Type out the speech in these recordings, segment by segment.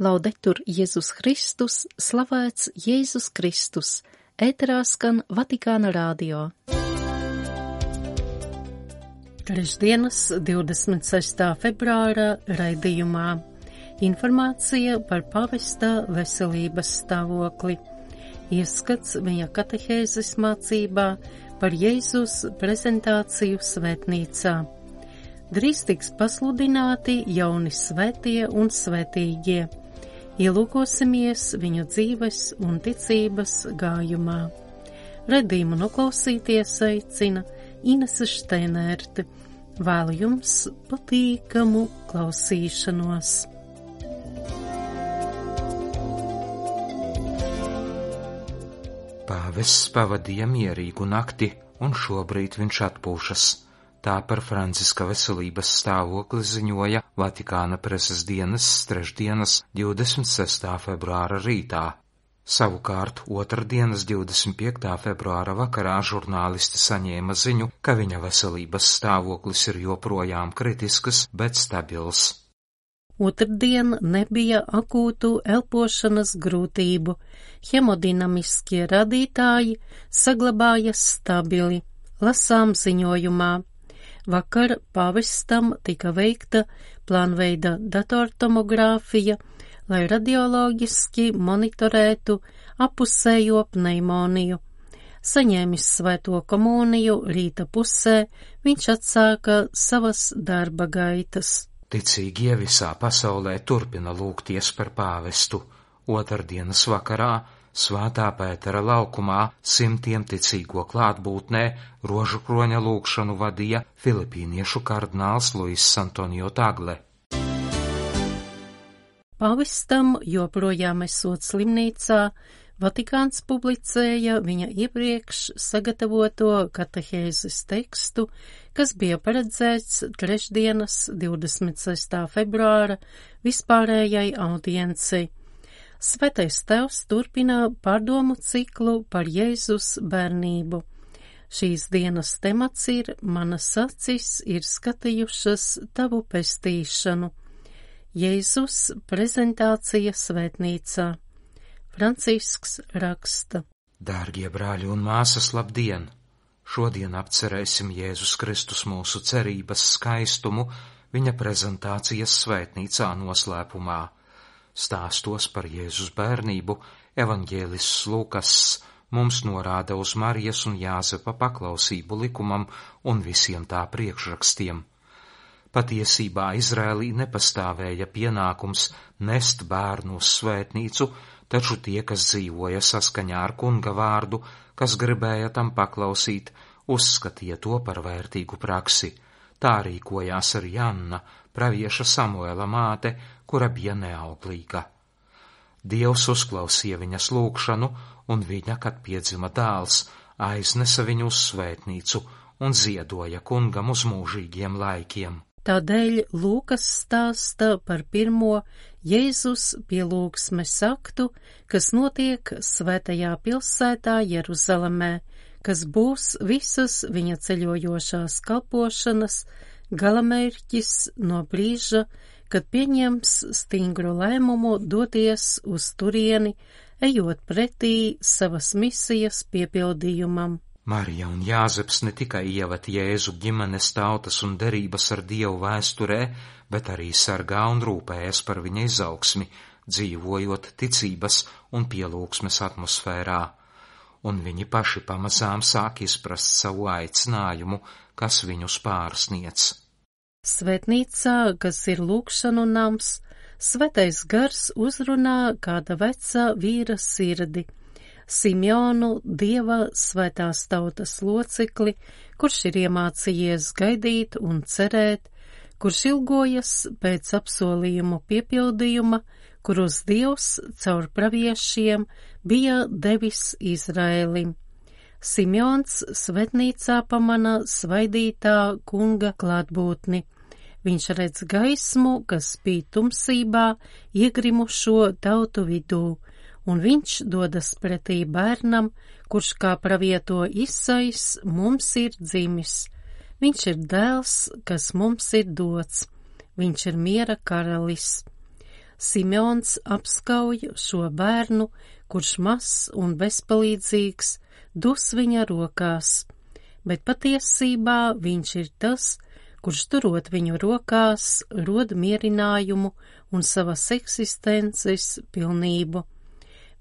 Laudetur Jēzus Kristus, slavēts Jēzus Kristus, ēterā skan Vatikāna radio. Trešdienas 26. februāra raidījumā informācija par pavesta veselības stāvokli, ieskats viņa katehēzes mācībā par Jēzus prezentāciju svētnīcā. Drīz tiks pasludināti jauni svētie un svētīgie. Ielūkosimies viņu dzīves un ticības gājumā. Raidījumu noklausīties aicina Inese Šteinerte. Vēlu jums patīkamu klausīšanos. Pāvests pavadīja mierīgu nakti, un šobrīd viņš atpūšas. Tā par Franciska veselības stāvokli ziņoja Vatikāna preses dienas trešdienas 26. februāra rītā. Savukārt otrdienas 25. februāra vakarā žurnālisti saņēma ziņu, ka viņa veselības stāvoklis ir joprojām kritisks, bet stabils. Otrdien nebija akūtu elpošanas grūtību. Hemodinamiskie radītāji saglabājas stabili, lasām ziņojumā. Vakar pāvestam tika veikta plānveida datortomogrāfija, lai radioloģiski monitorētu apusējo pneimoniju. Saņēmis svēto komuniju rīta pusē, viņš atsāka savas darba gaitas. Ticīgie visā pasaulē turpina lūgties par pāvestu. Otrdienas vakarā Svētā Pētera laukumā simtiem ticīgo klātbūtnē rožukroņa lūgšanu vadīja filipīniešu kardināls Luis Antonio Tagle. Pāvestam joprojām esot slimnīcā, Vatikāns publicēja viņa iepriekš sagatavoto katehēzes tekstu, kas bija paredzēts trešdienas 26. februāra vispārējai audiencei. Svētais Tēvs turpina pārdomu ciklu par Jēzus bērnību. Šīs dienas temats ir Manas acis ir skatījušas tavu pestīšanu. Jēzus prezentācija svētnīcā. Francisks raksta. Dārgie brāļi un māsas, labdien! Šodien apcerēsim Jēzus Kristus mūsu cerības skaistumu viņa prezentācijas svētnīcā noslēpumā. Stāstos par Jēzus bērnību evaņģēlists Lukas mums norāda uz Marijas un Jāzepa paklausību likumam un visiem tā priekšrakstiem. Patiesībā Izrēlī nepastāvēja pienākums nest bērnu uz svētnīcu, taču tie, kas dzīvoja saskaņā ar kunga vārdu, kas gribēja tam paklausīt, uzskatīja to par vērtīgu praksi. Tā rīkojās arī Anna, pravieša Samuela māte, kura bija neauglīga. Dievs uzklausīja viņas lūgšanu, un viņa, kad piedzima dēls, aiznesa viņu uz svētnīcu un ziedoja kungam uz mūžīgiem laikiem. Tādēļ Lūkas stāsta par pirmo Jēzus pielūgsmes aktu, kas notiek svētajā pilsētā Jeruzalemē, kas būs visas viņa ceļojošās kalpošanas galamērķis no brīža, kad pieņems stingru lēmumu doties uz turieni, ejot pretī savas misijas piepildījumam. Marija un Jāzeps ne tikai ievad Jēzu ģimenes, tautas un derības ar Dievu vēsturē, bet arī sargā un rūpējas par viņa izaugsmi, dzīvojot ticības un pielūgsmes atmosfērā. Un viņi paši pamazām sāk izprast savu aicinājumu, kas viņus pārsniedz. Svētnīcā, kas ir lūgšanu nams, Svētais Gars uzrunā kāda veca vīra sirdi, Simeonu, Dieva svētās tautas locekli, kurš ir iemācījies gaidīt un cerēt, kurš ilgojas pēc apsolījumu piepildījuma, kurus Dievs caur praviešiem bija devis Izraēlim. Simeons svētnīcā pamana svaidītā kunga klātbūtni. Viņš redz gaismu, kas spīd tumsībā, iegrimušo tautu vidū, un viņš dodas pretī bērnam, kurš kā pravieto Isais mums ir dzimis. Viņš ir dēls, kas mums ir dots. Viņš ir miera karalis. Simeons apskauj šo bērnu, kurš mazs un bezpalīdzīgs, dus viņa rokās, bet patiesībā viņš ir tas, kurš turot viņu rokās, rod mierinājumu un savas eksistences pilnību.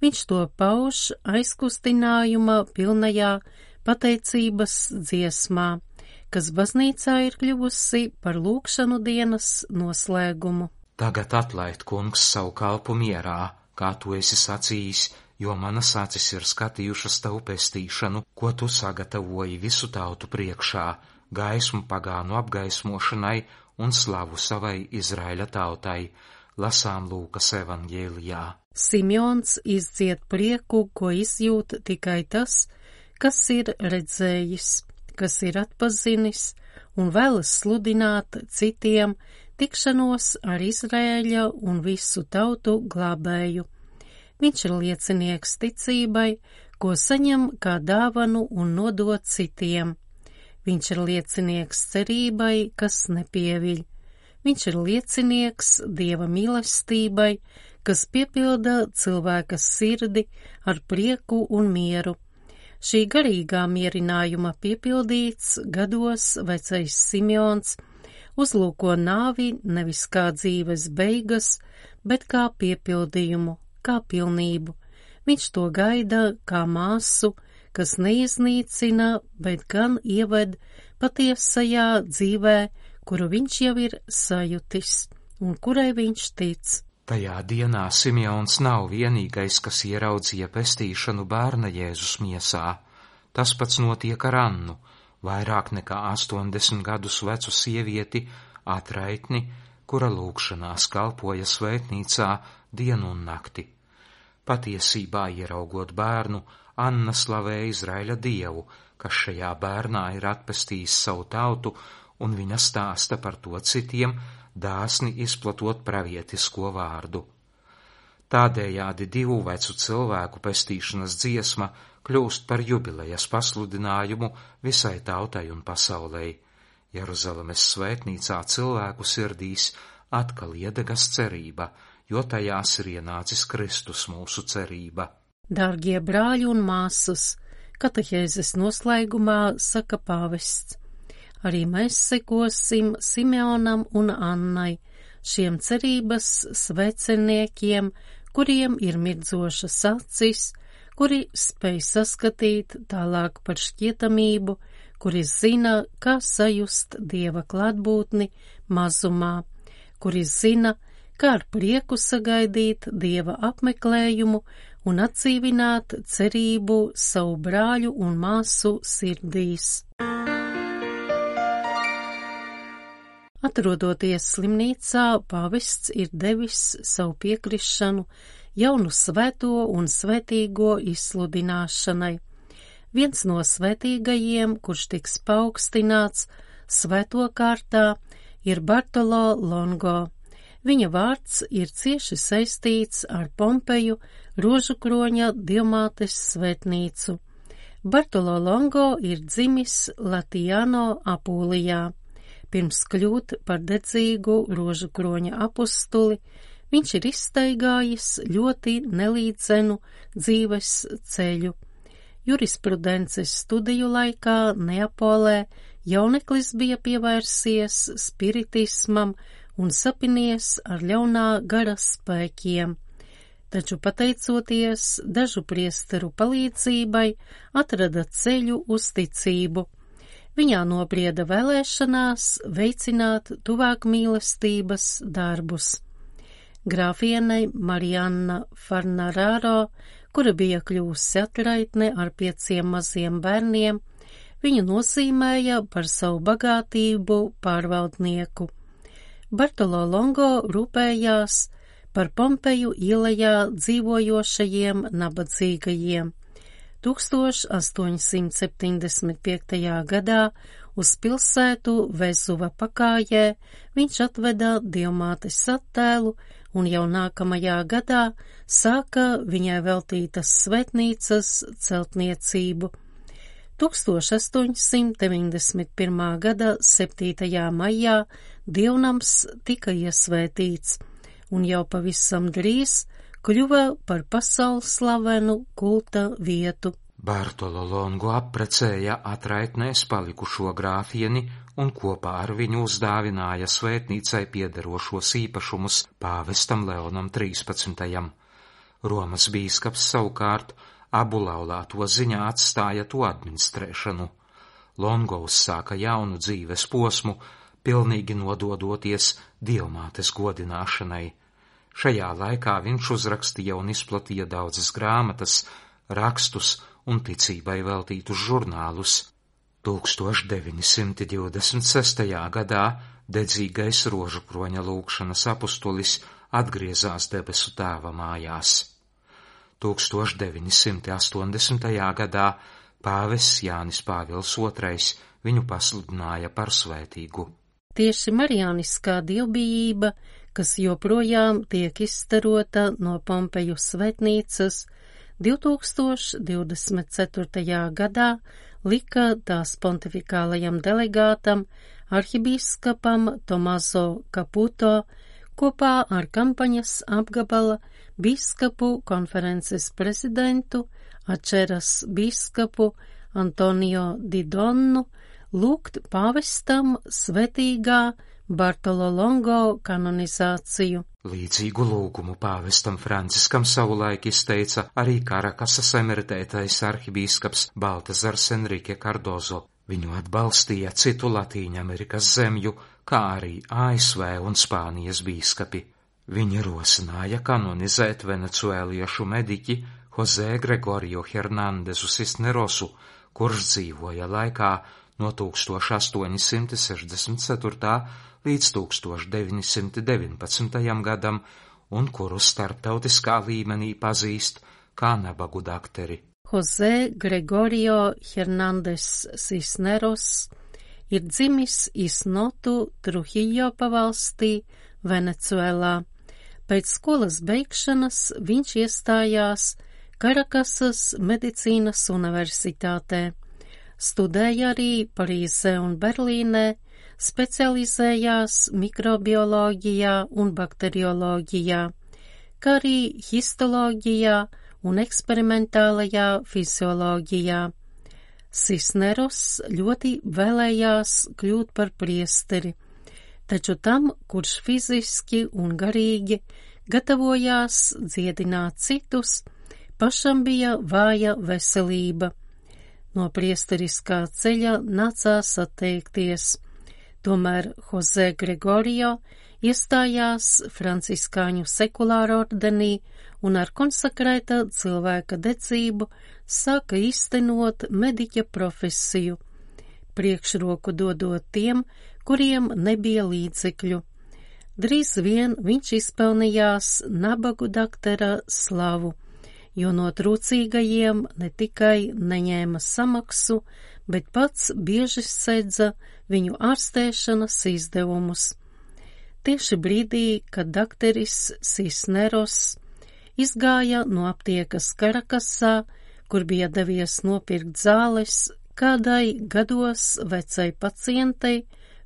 Viņš to pauž aizkustinājuma pilnajā pateicības dziesmā, kas baznīcā ir kļuvusi par lūgšanu dienas noslēgumu. Tagad atlaid, kungs, savu kalpu mierā, kā tu esi sacījis, jo manas acis ir skatījušas tavu pestīšanu, ko tu sagatavoji visu tautu priekšā, gaismu pagānu apgaismošanai un slavu savai Izraēļa tautai, lasām Lūkas evanģēlijā. Simeons izdzied prieku, ko izjūt tikai tas, kas ir redzējis, kas ir atpazinis un vēlas sludināt citiem tikšanos ar Izraēļa un visu tautu glābēju. Viņš ir liecinieks ticībai, ko saņem kā dāvanu un nodot citiem. Viņš ir liecinieks cerībai, kas nepieviļ. Viņš ir liecinieks Dieva mīlestībai, kas piepilda cilvēka sirdi ar prieku un mieru. Šī garīgā mierinājuma piepildīts gados vecais Simeons uzlūko nāvi nevis kā dzīves beigas, bet kā piepildījumu, kā pilnību. Viņš to gaida kā māsu, kas neiznīcina, bet gan ieved patiesajā dzīvē, kuru viņš jau ir sajutis un kurai viņš tic. Tajā dienā Simeons nav vienīgais, kas ieraudzīja pestīšanu bērna Jēzus miesā. Tas pats notiek ar Annu, vairāk nekā 80 gadus vecu sievieti, atraitni, kura lūgšanās kalpoja svētnīcā dienu un nakti. Patiesībā, ieraugot bērnu, Anna slavē Izraēļa Dievu, kas šajā bērnā ir atpestījis savu tautu, un viņa stāsta par to citiem, dāsni izplatot pravietisko vārdu. Tādējādi divu vecu cilvēku pestīšanas dziesma kļūst par jubilejas pasludinājumu visai tautai un pasaulei. Jeruzalemes svētnīcā cilvēku sirdīs atkal iedegas cerība, jo tajās ir ienācis Kristus mūsu cerība. Dārgie brāļi un māsas, katehēzes noslēgumā saka pāvests. Arī mēs sekosim Simeonam un Annai, šiem cerības sveceniekiem, kuriem ir mirdzošas acis, kuri spēj saskatīt tālāk par šķietamību, kuri zina, kā sajust Dieva klātbūtni mazumā, kuri zina, kā ar prieku sagaidīt Dieva apmeklējumu un atdzīvināt cerību savu brāļu un māsu sirdīs. Atrodoties slimnīcā, pāvests ir devis savu piekrišanu jaunu svēto un svētīgo izsludināšanai. Viens no svētīgajiem, kurš tiks paaugstināts svēto kārtā, ir Bartolo Longo. Viņa vārds ir cieši saistīts ar Pompeju Rožukroņa Dievmātes svētnīcu. Bartolo Longo ir dzimis Latijano Apulijā. Pirms kļūt par dedzīgu Rožukroņa apustuli, viņš ir izstaigājis ļoti nelīdzenu dzīves ceļu. Jurisprudences studiju laikā Neapolē jauneklis bija pievērsies spiritismam un sapinies ar ļaunā gara spēkiem, taču pateicoties dažu priesteru palīdzībai atrada ceļu uz ticību. Viņā nobrieda vēlēšanās veicināt tuvāk mīlestības darbus. Grāfienei Marianna Farnararo, kura bija kļūsi atraitne ar 5 maziem bērniem, viņu nozīmēja par savu bagātību pārvaldnieku. Bartolo Longo rūpējās par Pompeju ielajā dzīvojošajiem nabadzīgajiem. 1875. gadā uz pilsētu Vezuva pakājē viņš atveda Dievmātes attēlu un jau nākamajā gadā sāka viņai veltītas svētnīcas celtniecību. 1891. gada 7. maijā dievnams tika iesvētīts, un jau pavisam drīz kļuva par pasaules slavenu kulta vietu. Bartolo Longo apprecēja atraitnēs palikušo grāfieni un kopā ar viņu uzdāvināja svētnīcai piederošos īpašumus pāvestam Leonam 13. Romas bīskaps savukārt abu laulāto ziņā atstāja to administrēšanu. Longo uzsāka jaunu dzīves posmu, pilnīgi nododoties Dievmātes godināšanai. Šajā laikā viņš uzrakstīja un izplatīja daudzas grāmatas, rakstus un ticībai veltītus žurnālus. 1926. gadā dedzīgais rožukroņa lūgšanas apustulis atgriezās debesu tēva mājās. 1980. gadā pāvests Jānis Pāvils II viņu pasludināja par svētīgu. Tieši marijāniskā dievbijība, kas joprojām tiek izstarota no Pompeju svētnīcas, 2024. gadā lika tās pontifikālajam delegātam, arhibīskapam Tomaso Caputo, kopā ar kampaņas apgabala bīskapu konferences prezidentu, Ačeras bīskapu Antonio Di Donnu, lūgt pāvestam svētīgā Bartolo Longo kanonizāciju. Līdzīgu lūgumu pāvestam Franciskam savulaik izteica arī Karakasas emeritētais arhibīskaps Baltazars Enrique Cardozo. Viņu atbalstīja citu Latīņamerikas zemju, kā arī ASV un Spānijas bīskapi. Viņi rosināja kanonizēt venecuēliešu mediķi José Gregorio Hernandezu Cisnerosu, kurš dzīvoja laikā no 1864. līdz 1919. gadam un kuru starptautiskā līmenī pazīst kā nabagu dakteri. José Gregorio Hernandez Cisneros ir dzimis Isnotu Trujillo pavalstī, Venecuēlā. Pēc skolas beigšanas viņš iestājās Karakasas medicīnas universitātē. Studēja arī Parīzē un Berlīnē, specializējās mikrobioloģijā un bakterioloģijā, kā arī histoloģijā un eksperimentālajā fizioloģijā. Cisneros ļoti vēlējās kļūt par priesteri, taču tam, kurš fiziski un garīgi gatavojās dziedināt citus, pašam bija vāja veselība. No priesteriskā ceļa nācās atteikties. Tomēr José Gregorio iestājās franciskāņu sekulāra ordenī un ar konsekrēta cilvēka dedzību sāka īstenot mediķa profesiju, priekšroku dodot tiem, kuriem nebija līdzekļu. Drīz vien viņš izpelnījās nabagu daktera slavu, jo no trūcīgajiem ne tikai neņēma samaksu, bet pats bieži sedza viņu ārstēšanas izdevumus. Tieši brīdī, kad dakteris Cisneros izgāja no aptiekas Karakasā, kur bija devies nopirkt zāles, kādai gados vecai pacientei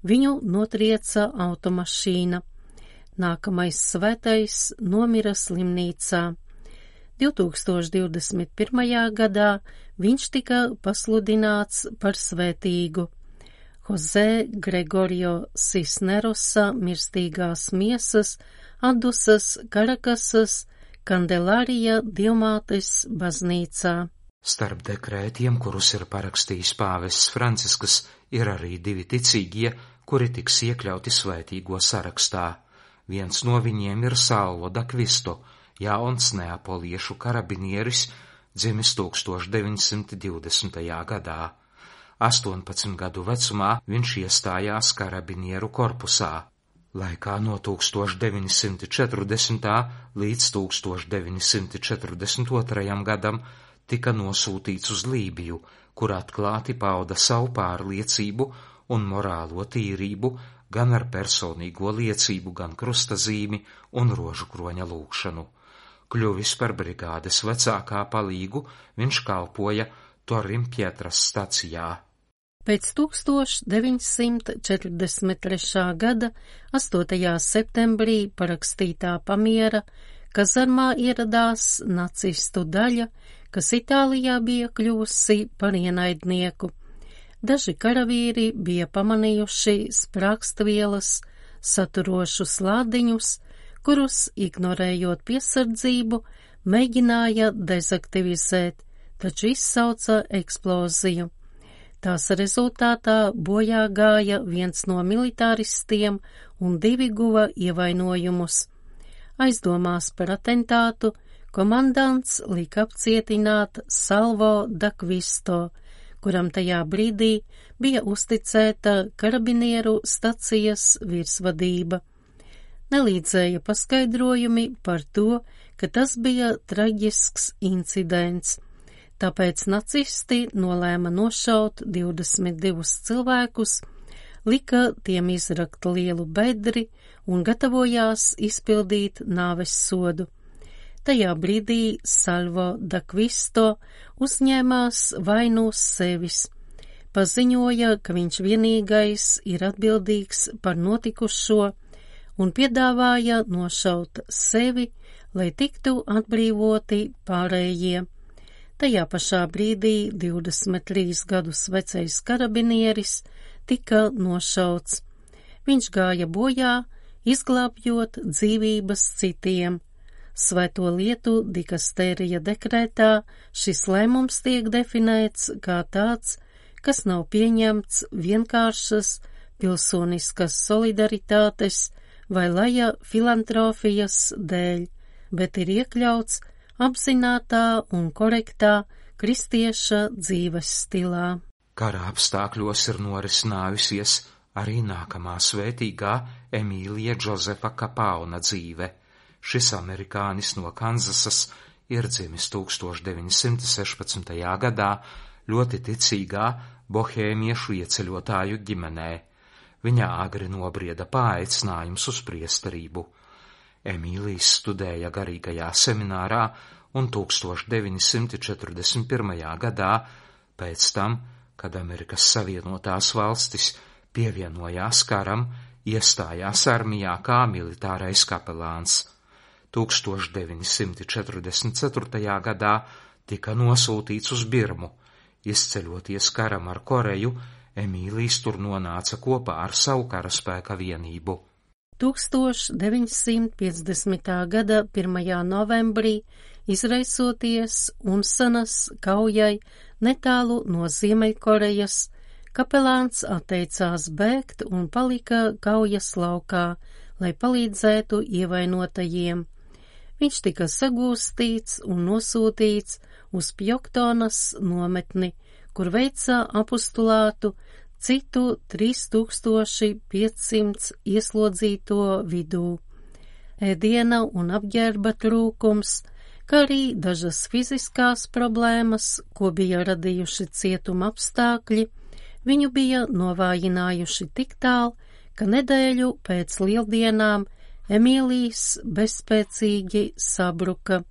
viņu notrieca automašīna. Nākamais svētais nomira slimnīcā. 2021. gadā viņš tika pasludināts par svētīgu. José Gregorio Cisnerosa mirstīgās miesas atdusas Karakasas Kandelārija Dievmātes baznīcā. Starp dekrētiem, kurus ir parakstījis pāvests Francisks, ir arī divi ticīgie, kuri tiks iekļauti svētīgo sarakstā. Viens no viņiem ir Salvo da Kvisto, jauns neapoliešu karabinieris, dzimis 1920. gadā. 18 gadu vecumā viņš iestājās karabinieru korpusā. Laikā no 1940. līdz 1942. gadam tika nosūtīts uz Lībiju, kur atklāti pauda savu pārliecību un morālo tīrību, gan ar personīgo liecību, gan krustazīmi un rožukroņa lūgšanu. Kļuvis par brigādes vecākā palīgu, viņš kalpoja Torim Pietras stacijā. Pēc 1943. gada 8. septembrī parakstītā pamiera kazarmā ieradās nacistu daļa, kas Itālijā bija kļuvusi par ienaidnieku. Daži karavīri bija pamanījuši sprākstvielas saturošus lādiņus, kurus, ignorējot piesardzību, mēģināja dezaktivizēt, taču izsauca eksploziju. Tās rezultātā bojā gāja viens no militāristiem un 2 guva ievainojumus. Aizdomās par atentātu komandants lika apcietināt Salvo D'Acquisto, kuram tajā brīdī bija uzticēta karabinieru stacijas virsvadība. Nelīdzēja paskaidrojumi par to, ka tas bija traģisks incidents. Tāpēc nacisti nolēma nošaut 22 cilvēkus, lika tiem izrakt lielu bedri un gatavojās izpildīt nāves sodu. Tajā brīdī Salvo D'Acquisto uzņēmās vainu uz sevis. Paziņoja, ka viņš vienīgais ir atbildīgs par notikušo un piedāvāja nošaut sevi, lai tiktu atbrīvoti pārējie. Tajā pašā brīdī 23 gadus vecais karabinieris tika nošauts. Viņš gāja bojā, izglābjot dzīvības citiem. Svēto lietu dikastērija dekrētā šis lēmums tiek definēts kā tāds, kas nav pieņemts vienkāršas pilsoniskas solidaritātes vai laja filantropijas dēļ, bet ir iekļauts apzinātā un korektā kristieša dzīves stilā. Kara apstākļos ir norisinājusies arī nākamā svētīgā Emīlija Džozefa Kapauna dzīve. Šis amerikānis no Kanzasas ir dzimis 1916. gadā ļoti ticīgā bohēmiešu ieceļotāju ģimenē. Viņā agri nobrieda paaicinājums uz priesterību. Emīlijs studēja garīgajā seminārā un 1941. gadā, pēc tam, kad Amerikas Savienotās valstis pievienojās karam, iestājās armijā kā militārais kapelāns. 1944. gadā tika nosūtīts uz Birmu. Izceļoties karam ar Koreju, Emīlijs tur nonāca kopā ar savu karaspēka vienību. 1950. gada 1. novembrī, izraisoties Unsanas kaujai netālu no Ziemeļkorejas, kapelāns atteicās bēgt un palika kaujas laukā, lai palīdzētu ievainotajiem. Viņš tika sagūstīts un nosūtīts uz Pjoktonas nometni, kur veica apostulātu citu 3500 ieslodzīto vidū. Ēdiena un apģērba trūkums, kā arī dažas fiziskās problēmas, ko bija radījuši cietuma apstākļi, viņu bija novājinājuši tik tālu, ka nedēļu pēc lieldienām Emīlijs bezspēcīgi sabruka.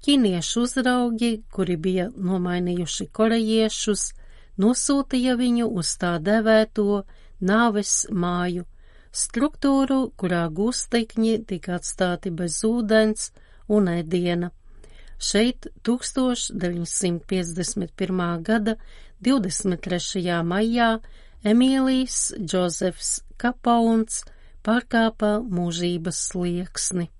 Ķīniešu uzraugi, kuri bija nomainījuši korejiešus, nosūtīja viņu uz tā devēto nāves māju, struktūru, kurā gūstekņi tika atstāti bez ūdens un ēdiena. Šeit 1951. gada 23. maijā Emīlijs Džozefs Kapauns pārkāpa mūžības slieksni.